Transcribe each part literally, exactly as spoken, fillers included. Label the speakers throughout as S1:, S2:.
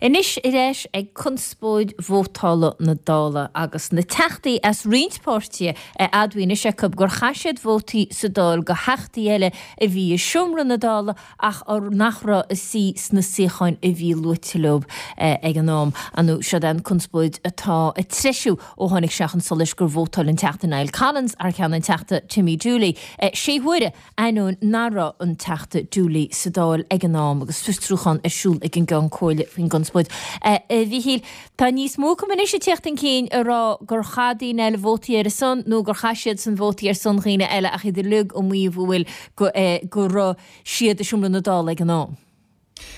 S1: Anois ar ais ag conspóid vótála na Dála agus na teachtaí as roinnt páirtithe a admhaíonn anois acu gur chaith siad vótaí sa Dáil do theachtaí eile a bhí i seomra na Dála ach nach raibh ag suí sna suíocháin a bhí luaite leo ag an am. Anu seo an conspóid atá ag treisiú ó tháinig sé chun solais gur vótáil an Teachta Niall Collins thar ceann an Teachta Timmy Dooley sé huaire ainneoin nach raibh an Teachta Dooley sa Dáil ag an am agus fiosrúchán ar siúl ag an gCeann Comhairle faoin gconspóid. A Mhíchíl, tá níos mó acu anois ag teacht chun cinn ag rá gur chaith daoine eile vótaí ar a son nó gur chaith siad san vótaí ar son dhaoine eile ach iad uilig ag maíomh go bhfuil go raibh siad i seomra na Dála ag an am.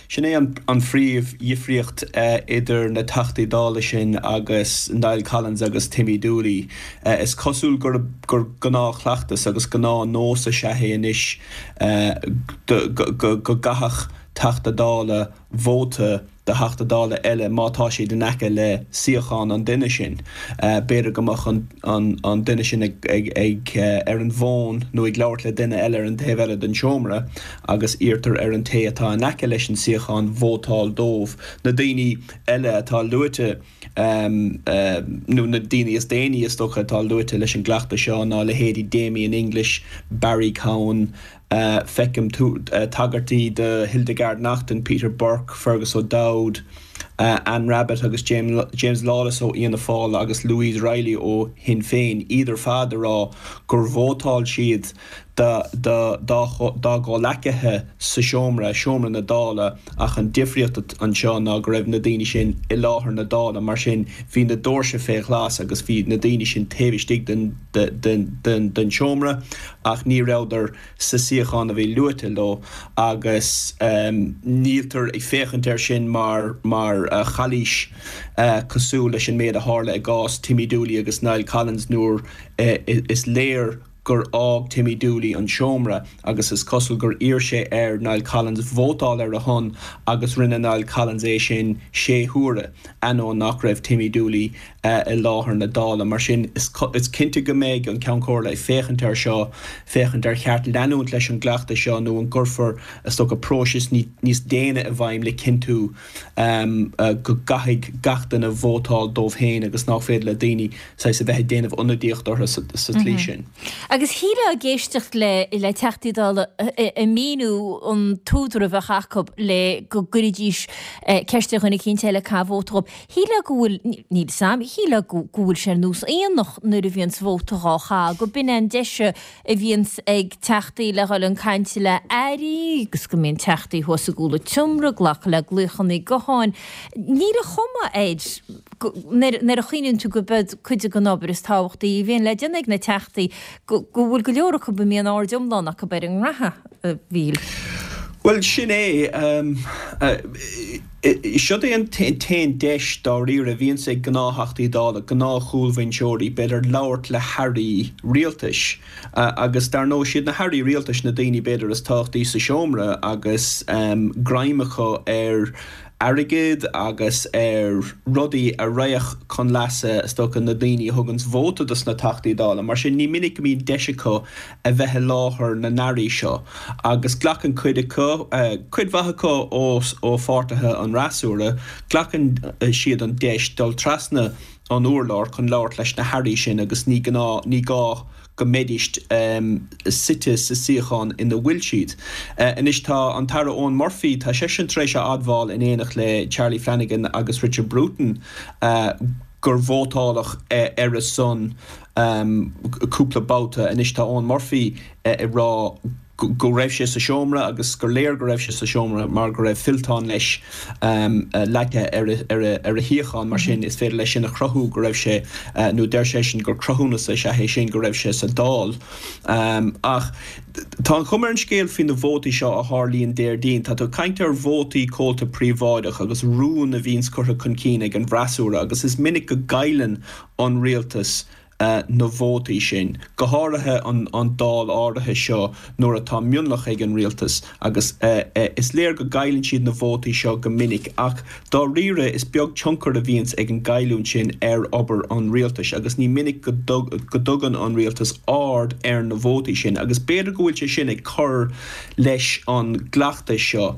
S2: Sin é an phríomhdhifríocht idir na Teachtaí Dála sin agus Niall Collins agus Timmy Dooley. Is cosúil gur gur gnáthchleachtas agus gnáthnós is ea é anois go gcaithfeadh Teachta Dála vóta do Theachta Dála eile má tá siad in aice le suíochán an duine sin. B'fhéidir go mbeadh an duine sin ag ag ar an bhfón nó ag labhairt le duine eile ar an taobh eile den seomra agus iarrtar ar an té atá in aice leis an suíochán vótáil dóibh. Na daoine eile atá luaite nó na daoine is déanaí is dócha atá luaite leis an gcleachtadh seo ná leithéidí Damien English, Barry Cowen, feicim tagairtí do Hildegarde Naughton, Peter Burke, Fergus O'Dowd, Anne Rabbitte agus James Lawless ó Fhianna Fáil agus Louise Reilly ó Shinn Féin, iad ar fad ag rá gur vótáil siad dá gcomhghleacaithe sa seomra, seomra na Dála, ach an difríocht anseo ná go raibh na daoine sin i láthair na Dála, mar sin bhí na doirse fé ghlas agus bhí na daoine sin taobh istigh den den seomra ach ní rabhadar sa suíochán a bhí luaite leo agus níltear ag féachaint air sin mar mar chalaois cosúil leis an méid a tharla i gcás Timmy Dooley agus Niall Collins nuair is léir gur fhág Timmy Dooley an seomra agus is cosúil gur iarr sé ar Niall Collins vótáil ar a shon agus rinne Niall Collins é sin sé huaire ainneoin nach raibh Timmy Dooley i láthair na Dála. Mar sin is cinnte go mbeidh an Ceann Comhairle ag féachaint air seo, féachaint ar cheart leanúint leis an gcleachtadh seo nó an gcuirfear is dócha próiseas níos déine i bhfeidhm le cinntiú go gcaithfidh gach duine vótáil dóibh féin agus nach féidir le daoine saghas a bheith ag déanamh ionadaíocht orthu sa tslí sin.
S1: Agus shílfeá ag éisteacht le le Teachtaí Dála ag míniú an t-údar a bheadh acu le go gcuirfidís ceist ar dhuine eicínt eile caitheamh vóta dhóibh. Shílfeá go bhfuil, níl 'fhios a'm, shílfeá go bhfuil sé ar nós aonach nuair a bhíonns vóta dhá chaitheamh, go b'in an deis a bhíonns ag teachtaí le dhul chun cainte le airí agus go mbíonn teachtaí thuas i gcúl an tseomra ag glacadh le glaochanna gutháin. Níl an chuma air nuair a chuimhníonn tú go b'iod cuid den obair is tábhachtaí a bhíonn le déanamh ag na teachtaí go bhfuil go leor acu a mbíonn aird iomlán acu ar an ngraithe, a Mhíchíl.
S2: Bhuel, sin é. Siod é an t-aon deis dáiríre a bhíonns ag gnáth-Theachtaí Dála, gnáth-chúlbhinseoirí, b'fhéidir, labhairt le hairí rialtais. Agus dar ndóigh, siad na hairí rialtais na daoine b'fhéidir is tábhachtaí sa seomra agus greim acu ar airgead agus ar rudaí a raghadh chun leasa, is dócha, na daoine a thuganns vóta dos na Teachtaí Dála. Mar sin, ní minic go mbíonn deis acu a bheith i láthair na n-airí seo agus glacann cuid acu, cuid mhaith acu ó pháirtithe an fhreasúra, glacann siad an deis dul trasna an urláir chun labhairt leis na hairí sin agus ní gná, ní gá go mbeidís suite sa suíochán ina bhfuil siad. Anois tá an tAire Eoghan Murphy, tá seisean tar éis a admháil in éineacht le Charlie Flanagan agus Richard Bruton gur vótáladh ar a son cúpla babhta. Anois tá Eoghan Murphy ag rá go raibh sé sa seomra agus gur léir go raibh sé sa seomra mar go raibh fillteán leis leagtha ar a shuíochán, mar sin is féidir leis sin a chruthú go raibh sé, nó deir seisean gur cruthúnas is ea é sin go raibh sé sa Dáil. Ach tá an chuma ar an scéal faoi na vótaí seo a tharlaíonn Déardaoin, tá tú ag caint ar vótaí comhalta príobháideach agus rún a bhíonns curtha chun cinn ag an bhfreasúra agus is minic go gcailleann an rialtas na vótaí sin, go háirithe an an Dáil áirithe seo nuair atá mionlach ag an rialtas agus is léir go gcailleann siad na vótaí seo go minic ach dáiríre is beag tionchar a bhíonns ag an gcailliúint sin ar obair an rialtais agus ní minic go dtugann an rialtas aird ar na vótaí sin agus b'fhéidir go bhfuil sé sin ag cur leis an gcleachtas seo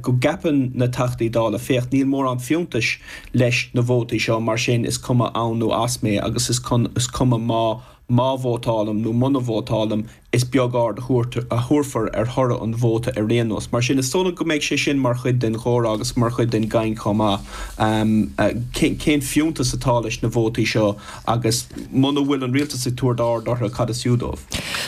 S2: go gceapann na Teachtaí Dála féach níl mórán fiúntais leis na vótaí seo mar sin is cuma ann nó as mé agus is is cuma má má vótálaim nó muna vótálaim is beag aird a thabharfar ar thoradh an vóta ar aon nós. Mar sin is dóigh liom go mbeidh sé sin mar chuid den chomhrá agus mar chuid den gcaint chomh maith. Cén fiúntas atá leis na vótaí seo agus muna bhfuil an rialtas ag tabhairt aird orthu cad is fiú dóibh.